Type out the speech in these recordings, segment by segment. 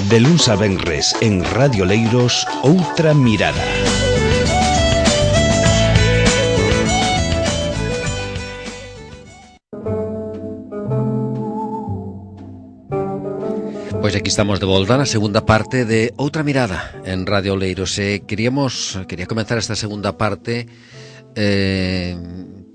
De luns a venres en Radio Leiros, Outra Mirada. Pois aquí estamos de volta na segunda parte de Outra Mirada en Radio Leiros. Quería comenzar esta segunda parte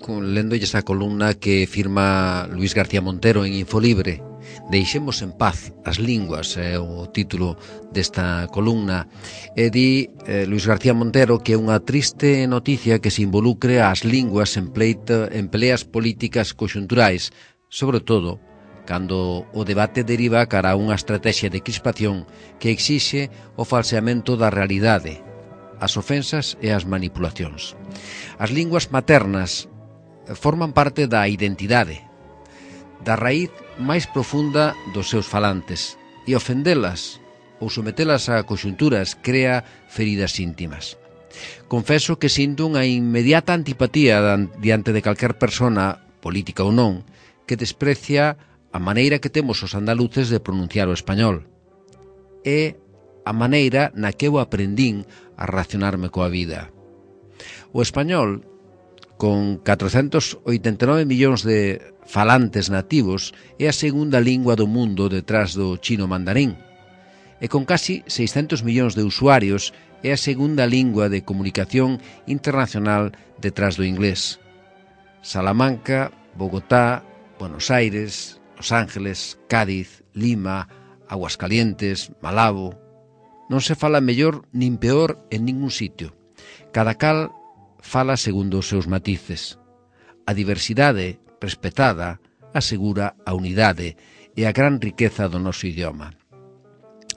lendo esa columna que firma Luis García Montero en Infolibre. Deixemos en paz as linguas, é o título desta columna. E di Luis García Montero que é unha triste noticia que se involucre as linguas en peleas políticas conxunturais, sobre todo cando o debate deriva cara a unha estrategia de crispación que exixe o falseamento da realidade, as ofensas e as manipulacións. As linguas maternas forman parte da identidade, da raíz máis profunda dos seus falantes, e ofendelas ou sometelas a conxunturas crea feridas íntimas. Confeso que sinto unha inmediata antipatía diante de calquer persona, política ou non, que desprecia a maneira que temos os andaluces de pronunciar o español. É a maneira na que eu aprendín a relacionarme coa vida. O español, con 489 millóns de falantes nativos, é a segunda lingua do mundo detrás do chino mandarín. E con casi 600 millóns de usuarios, é a segunda lingua de comunicación internacional detrás do inglés. Salamanca, Bogotá, Buenos Aires, Los Ángeles, Cádiz, Lima, Aguascalientes, Malabo. Non se fala mellor nin peor en ningún sitio. Cada cal fala segundo os seus matices. A diversidade, respetada, asegura a unidade e a gran riqueza do noso idioma.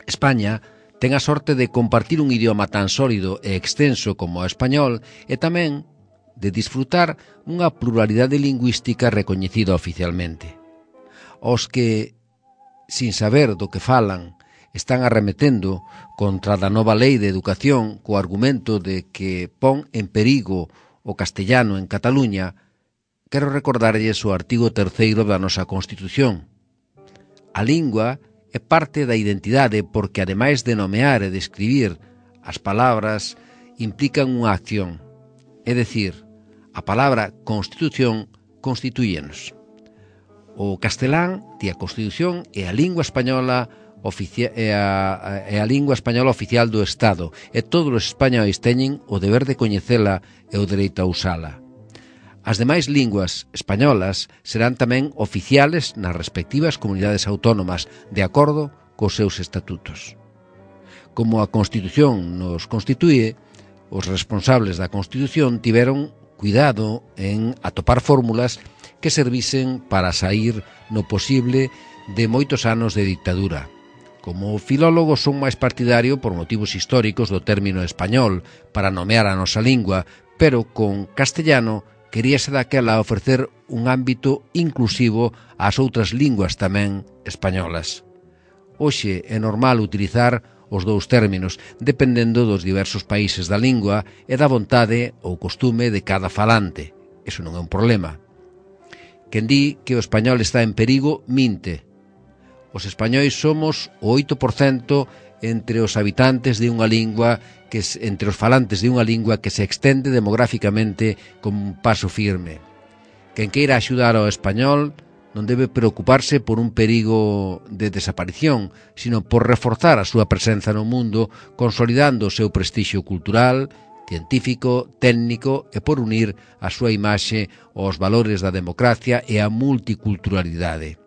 España ten a sorte de compartir un idioma tan sólido e extenso como o español e tamén de disfrutar unha pluralidade lingüística recoñecida oficialmente. Os que, sin saber do que falan, están arremetendo contra a nova lei de educación co argumento de que pon en perigo o castellano en Cataluña, quero recordarlles o artigo 3º da nosa Constitución. A lingua é parte da identidade porque, ademais de nomear e de escribir, as palabras implican unha acción. É dicir, a palabra Constitución constitúyenos. O castelán di a Constitución é a lingua española oficial do Estado e todos os españois teñen o deber de coñecela e o dereito a usala. As demais linguas españolas serán tamén oficiales nas respectivas comunidades autónomas de acordo cos seus estatutos. Como a Constitución nos constitúe, os responsables da Constitución tiveron cuidado en atopar fórmulas que servisen para saír no posible de moitos anos de dictadura. Como filólogo son máis partidario por motivos históricos do término español para nomear a nosa lingua, pero con castellano queríase daquela ofrecer un ámbito inclusivo ás outras linguas tamén españolas. Hoxe é normal utilizar os dous términos, dependendo dos diversos países da lingua e da vontade ou costume de cada falante. Eso non é un problema. Quen di que o español está en perigo, minte. Os españois somos o 8% entre os habitantes de unha lingua entre os falantes de unha lingua que se extende demográficamente como un paso firme. Quen queira axudar ao español non debe preocuparse por un perigo de desaparición, sino por reforzar a súa presenza no mundo, consolidando o seu prestixio cultural, científico, técnico e por unir a súa imaxe aos valores da democracia e a multiculturalidade.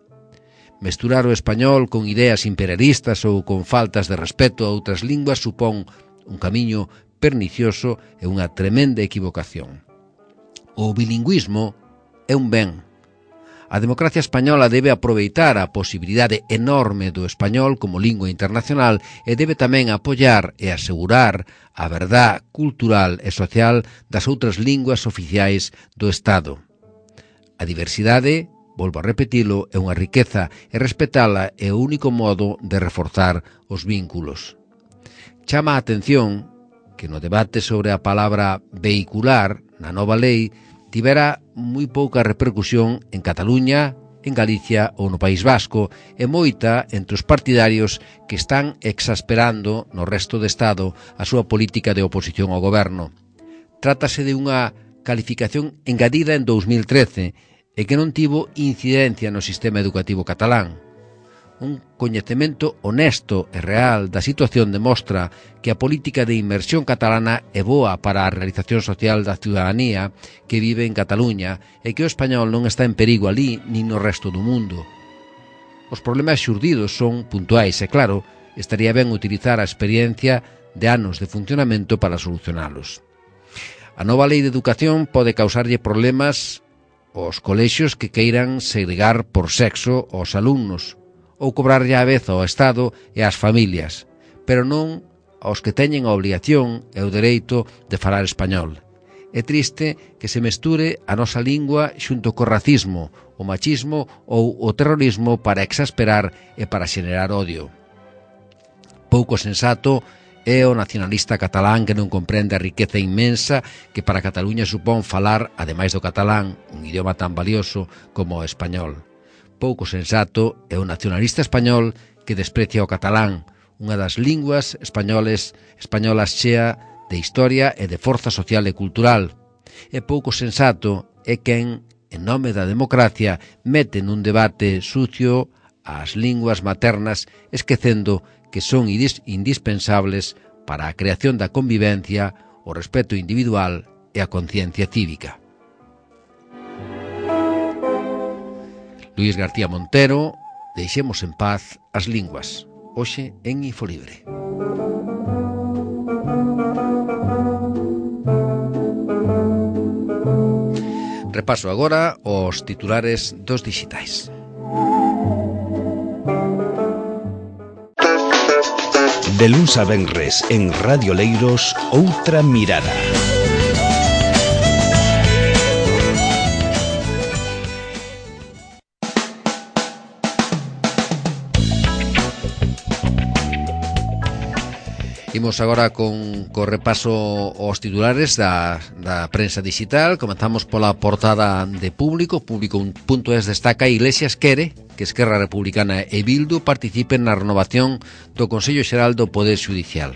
Mesturar o español con ideas imperialistas ou con faltas de respeto a outras linguas supón un camiño pernicioso e unha tremenda equivocación. O bilingüismo é un ben. A democracia española debe aproveitar a posibilidade enorme do español como lingua internacional e debe tamén apoiar e asegurar a verdade cultural e social das outras linguas oficiais do Estado. A diversidade, volvo a repetilo, é unha riqueza e respetala é o único modo de reforzar os vínculos. Chama a atención que no debate sobre a palabra vehicular na nova lei tivera moi pouca repercusión en Cataluña en Galicia ou no País Vasco e moita entre os partidarios que están exasperando no resto do Estado a súa política de oposición ao goberno. Trátase de unha calificación engadida en 2013 e que non tivo incidencia no sistema educativo catalán. Un coñecemento honesto e real da situación demostra que a política de inmersión catalana é boa para a realización social da ciudadanía que vive en Cataluña e que o español non está en perigo alí nin no resto do mundo. Os problemas xurdidos son puntuais e, claro, estaría ben utilizar a experiencia de anos de funcionamento para solucionalos. A nova lei de educación pode causarlle problemas aos colexios que queiran segregar por sexo aos alumnos ou cobrarlle a vez ao Estado e ás familias, pero non aos que teñen a obligación e o dereito de falar español. É triste que se mesture a nosa lingua xunto co racismo, o machismo ou o terrorismo para exasperar e para xenerar odio. Pouco sensato é o nacionalista catalán que non comprende a riqueza inmensa que para Cataluña supón falar, ademais do catalán, un idioma tan valioso como o español. Pouco sensato é o nacionalista español que desprecia o catalán, unha das linguas españolas chea de historia e de forza social e cultural. E pouco sensato é quen, en nome da democracia, mete nun debate sucio as linguas maternas, esquecendo que son indispensables para a creación da convivencia, o respeto individual e a conciencia cívica. Luis García Montero, deixemos en paz as linguas, hoxe en Infolibre. Repaso agora os titulares dos dixitais. De luns a venres en Radio Leiros, Outra Mirada. Imos agora con repaso aos titulares da prensa digital. Comenzamos pola portada de Público. Público.es destaca: Iglesias quere que Esquerra Republicana e Bildu participen na renovación do Consello Xeral do Poder Xudicial.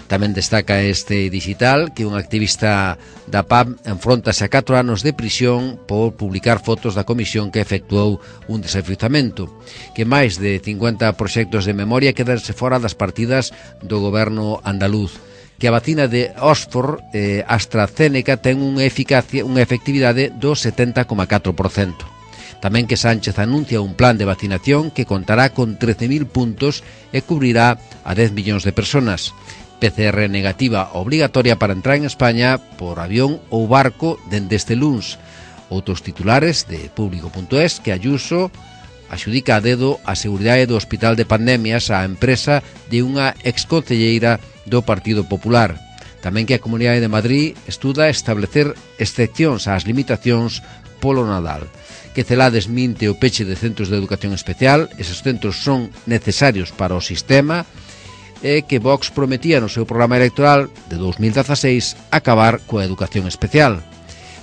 Tamén destaca este digital que un activista da PAM enfróntase a 4 anos de prisión por publicar fotos da comisión que efectuou un desafiuzamento, que máis de 50 proxectos de memoria quedanse fora das partidas do goberno andaluz, que a vacina de Oxford AstraZeneca ten unha efectividade do 70,4%. Tamén que Sánchez anuncia un plan de vacinación que contará con 13.000 puntos e cubrirá a 10 millóns de personas. PCR negativa obrigatoria para entrar en España por avión ou barco dende este luns. Outros titulares de Público.es que Ayuso axudica a dedo a seguridade do Hospital de Pandemias á empresa de unha exconcelleira do Partido Popular. Tamén que a Comunidade de Madrid estuda establecer excepcións ás limitacións polo Nadal. Que Celades minte o peche de centros de educación especial. Eses centros son necesarios para o sistema, e que Vox prometía no seu programa electoral de 2016 acabar coa educación especial.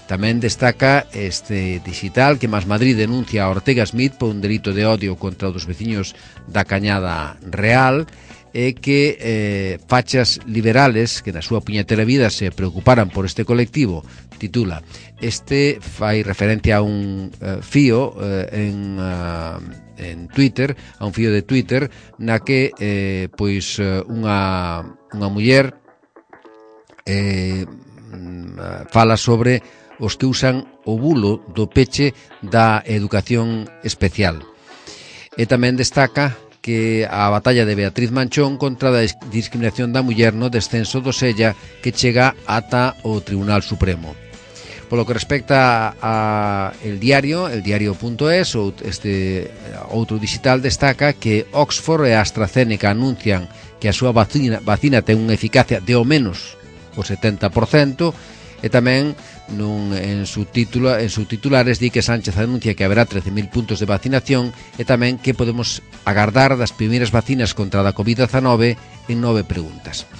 Tamén destaca este digital que Más Madrid denuncia a Ortega Smith por un delito de odio contra os veciños da Cañada Real, e que fachas liberales que na súa puñetera vida se preocuparan por este colectivo. Titula: este fai referencia a un fío en Twitter, a un fío de Twitter na que unha muller fala sobre os que usan o bulo do peche da educación especial. E tamén destaca que a batalla de Beatriz Manchón contra a discriminación da muller no descenso do Sella, que chega ata o Tribunal Supremo. Polo que respecta a el diario.es, este outro digital destaca que Oxford e AstraZeneca anuncian que a súa vacina ten unha eficacia de ao menos o 70%, e tamén en subtitulares di que Sánchez anuncia que haberá 13.000 puntos de vacinación, e tamén que podemos agardar das primeiras vacinas contra a COVID-19 en 9 preguntas.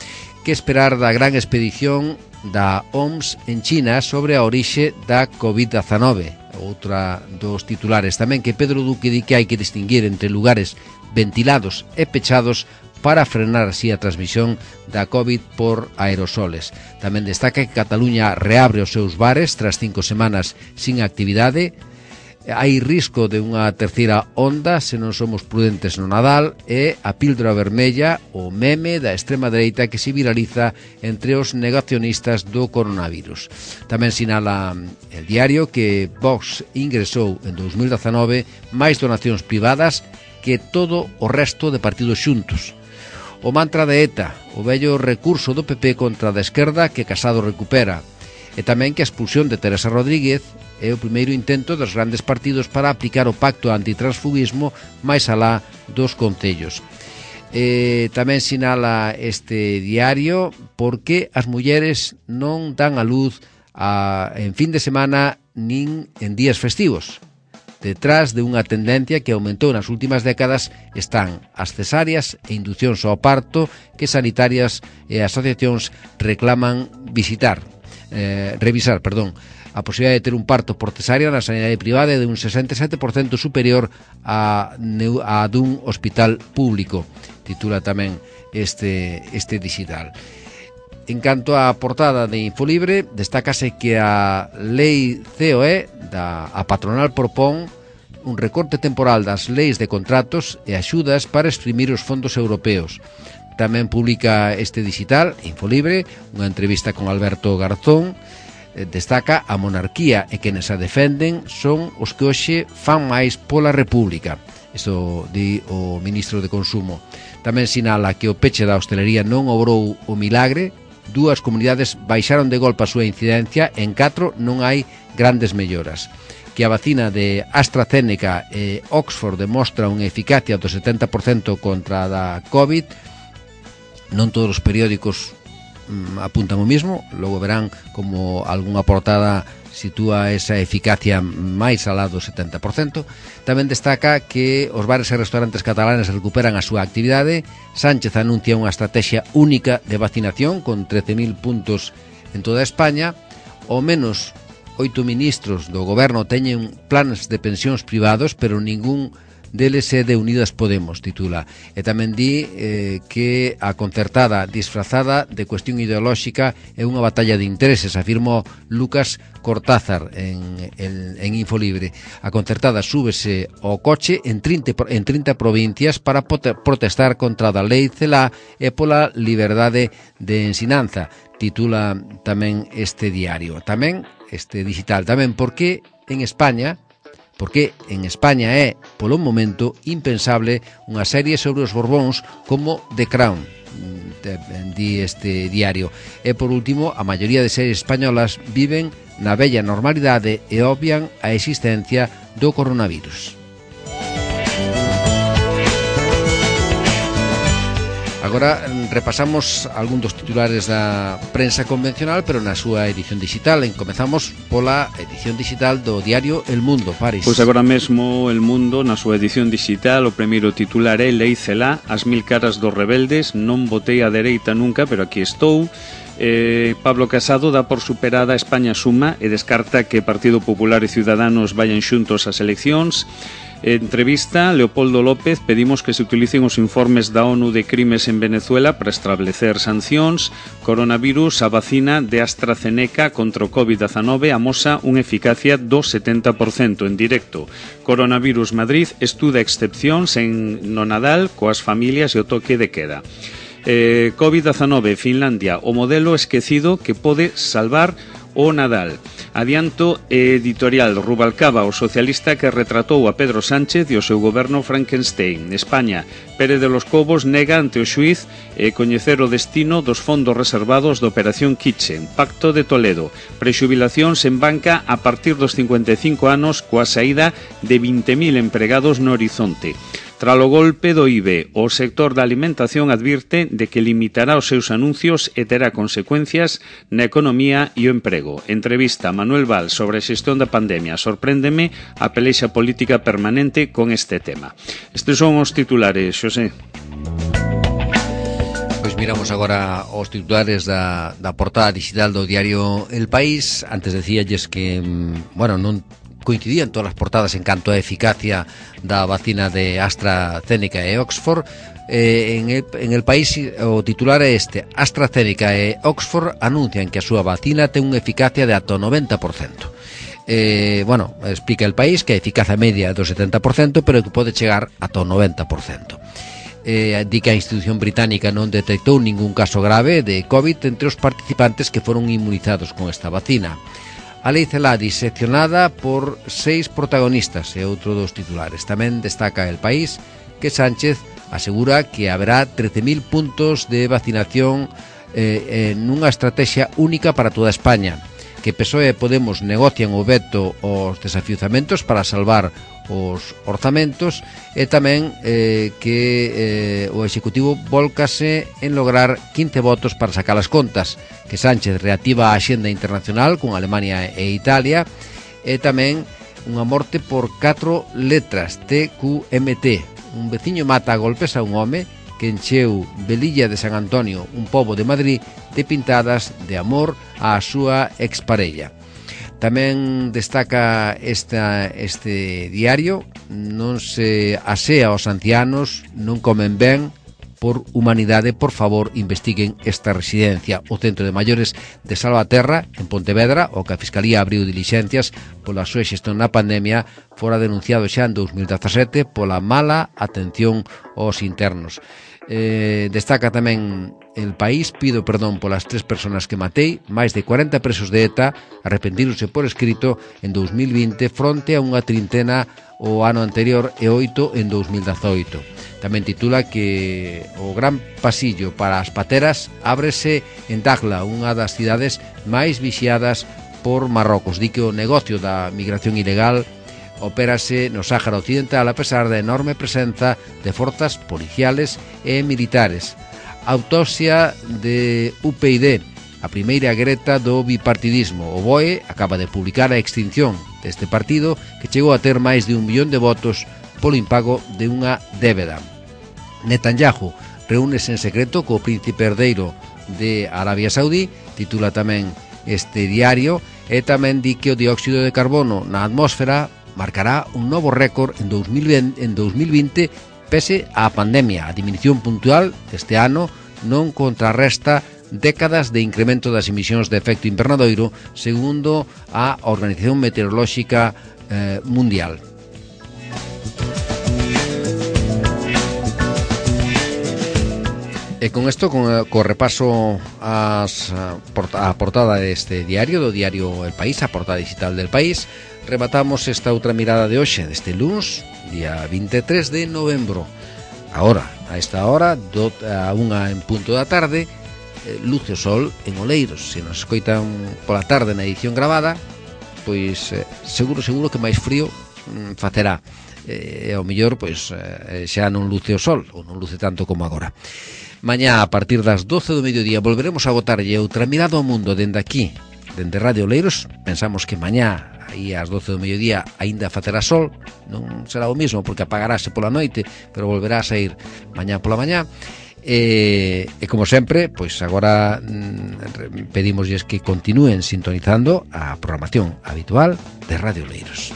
Que esperar da gran expedición da OMS en China sobre a orixe da COVID-19, outra dos titulares tamén, que Pedro Duque di que hai que distinguir entre lugares ventilados e pechados para frenar así a transmisión da COVID por aerosoles. Tamén destaca que Cataluña reabre os seus bares tras 5 semanas sin actividade. Hai risco de unha terceira onda se non somos prudentes no Nadal, e a píldora vermella, o meme da extrema dereita que se viraliza entre os negacionistas do coronavirus. Tamén sinala el diario que Vox ingresou en 2019 máis donacións privadas que todo o resto de partidos xuntos. O mantra de ETA, o vello recurso do PP contra a da esquerda que Casado recupera, e tamén que a expulsión de Teresa Rodríguez é o primeiro intento dos grandes partidos para aplicar o pacto antitransfugismo máis alá dos concellos. Tamén sinala este diario porque as mulleres non dan a luz en fin de semana nin en días festivos. Detrás de unha tendencia que aumentou nas últimas décadas están as cesáreas e inducións ao parto que sanitarias e asociacións reclaman revisar, a posibilidade de ter un parto por cesárea na sanidade privada é de un 67% superior a dun hospital público, titula tamén este digital. En canto á portada de Infolibre, destácase que a lei COE a patronal propón un recorte temporal das leis de contratos e axudas para exprimir os fondos europeos. Tamén publica este digital, Infolibre, unha entrevista con Alberto Garzón. Destaca a monarquía e quenes a defenden son os que hoxe fan máis pola República. Isto di o ministro de Consumo. Tamén sinala que o peche da hostelería non obrou o milagre. 2 comunidades baixaron de golpe a súa incidencia, en 4 non hai grandes melloras. Que a vacina de AstraZeneca e Oxford demostra unha eficacia do 70% contra a da COVID. Non todos os periódicos apuntan o mismo, logo verán como algunha portada sitúa esa eficacia máis alá do 70%. Tamén destaca que os bares e restaurantes catalanes recuperan a súa actividade. Sánchez anuncia unha estrategia única de vacinación con 13.000 puntos en toda España. Ao menos 8 ministros do goberno teñen planes de pensións privados, pero ningún deles é de Unidas Podemos, titula. E tamén di que a concertada disfrazada de cuestión ideolóxica é unha batalla de intereses, afirmou Lucas Cortázar en Infolibre. A concertada súbese ao coche en 30 provincias para protestar contra a lei CELA e pola liberdade de ensinanza, titula tamén este diario. Tamén este digital, tamén porque en España é, polo momento, impensable unha serie sobre os Borbóns como The Crown, di este diario. E, por último, a maioría de series españolas viven na bella normalidade e obvian a existencia do coronavirus. Agora repasamos algún dos titulares da prensa convencional, pero na súa edición digital. Comezamos pola edición digital do diario El Mundo, Paris. Pois agora mesmo El Mundo, na súa edición digital, o primeiro titular é Lei Celaá, as 1000 caras dos rebeldes, non votei a dereita nunca, pero aquí estou. Pablo Casado dá por superada a España Suma e descarta que Partido Popular e Ciudadanos vayan xuntos ás eleccións. Entrevista, Leopoldo López, pedimos que se utilicen os informes da ONU de crimes en Venezuela para establecer sancións. Coronavirus, a vacina de AstraZeneca contra o COVID-19 amosa unha eficacia do 70% en directo. Coronavirus Madrid estuda excepcións no Nadal coas familias e o toque de queda. COVID-19 Finlandia, o modelo esquecido que pode salvar o Nadal. Adianto editorial, Rubalcaba, o socialista que retratou a Pedro Sánchez e o seu goberno Frankenstein. España, Pérez de los Cobos nega ante o xuiz coñecer o destino dos fondos reservados da Operación Kitchen. Pacto de Toledo, prexubilacións en banca a partir dos 55 anos coa saída de 20.000 empregados no horizonte. Tralo golpe do IBE, o sector da alimentación advirte de que limitará os seus anuncios e terá consecuencias na economía e o emprego. Entrevista Manuel Val sobre a xestión da pandemia. Sorpréndeme a pelexa política permanente con este tema. Estes son os titulares, Xosé. Pois miramos agora os titulares da portada digital do diario El País. Antes decíalles que, non coincidían todas as portadas en canto a eficacia da vacina de AstraZeneca e Oxford. En el país o titular é este: AstraZeneca e Oxford anuncian que a súa vacina ten unha eficacia de ata 90%. Explica el país que a eficacia media é do 70%, pero que pode chegar ata o 90%. Di que a institución británica non detectou ningún caso grave de COVID entre os participantes que foron inmunizados con esta vacina. A lei CELA diseccionada por 6 protagonistas é outro dos titulares. Tamén destaca el país que Sánchez asegura que haberá 13.000 puntos de vacinación nunha estrategia única para toda España, que PSOE e Podemos negocian o veto aos desafiuzamentos para salvar os orzamentos, e tamén que o Executivo volcase en lograr 15 votos para sacar as contas, que Sánchez reactiva a axenda internacional con Alemania e Italia, e tamén unha morte por 4 letras, TQMT. Un veciño mata a golpes a un home que encheu Velilla de San Antonio, un pobo de Madrid, de pintadas de amor á súa exparella. Tamén destaca este diario: non se asea aos ancianos, non comen ben. Por humanidade, por favor, investiguen esta residencia. O Centro de Maiores de Salvaterra, en Pontevedra, o que a Fiscalía abriu dilixencias pola súa xestión na pandemia, fora denunciado xa en 2017 pola mala atención aos internos. Destaca tamén el país: pido perdón polas 3 persoas que matei. Máis de 40 presos de ETA arrepentíronse por escrito en 2020 fronte a unha trintena o ano anterior e 8 en 2018. Tamén titula que o gran pasillo para as pateras ábrese en Dakhla, unha das cidades máis vixiadas por Marrocos. Di que o negocio da migración ilegal opérase no Sáhara Occidental a pesar da enorme presenza de forzas policiales e militares. Autopsia de UPyD, a primeira greta do bipartidismo. O BOE acaba de publicar a extinción deste partido, que chegou a ter máis de 1 millón de votos polo impago de unha débeda. Netanyahu reúnese en secreto co príncipe herdeiro de Arabia Saudí, titula tamén este diario, e tamén di que o dióxido de carbono na atmósfera marcará un novo récord en 2020 pese á pandemia. A diminución puntual deste ano non contrarresta décadas de incremento das emisións de efecto invernadoiro, segundo a Organización Meteorolóxica Mundial. E con isto, co repaso a portada deste diario, do diario El País, a portada digital del País, rematamos esta outra mirada de hoxe, deste luns, día 23 de novembro. Agora, a esta hora, a 1 en punto da tarde, luce o sol en Oleiros. Se nos escoitan pola tarde na edición gravada, pois seguro que máis frío facerá. E ao mellor, pois, xa non luce o sol, ou non luce tanto como agora. Mañá, a partir das 12 do mediodía, volveremos a botarlle outra mirada ao mundo dende aquí, dende Radio Oleiros. Pensamos que mañá, aí ás 12 do mediodía, aínda facerá sol. Non será o mismo, porque apagarase pola noite, pero volverá a sair mañá pola mañá. E como sempre, pois agora pedimosles que continúen sintonizando a programación habitual de Radio Oleiros.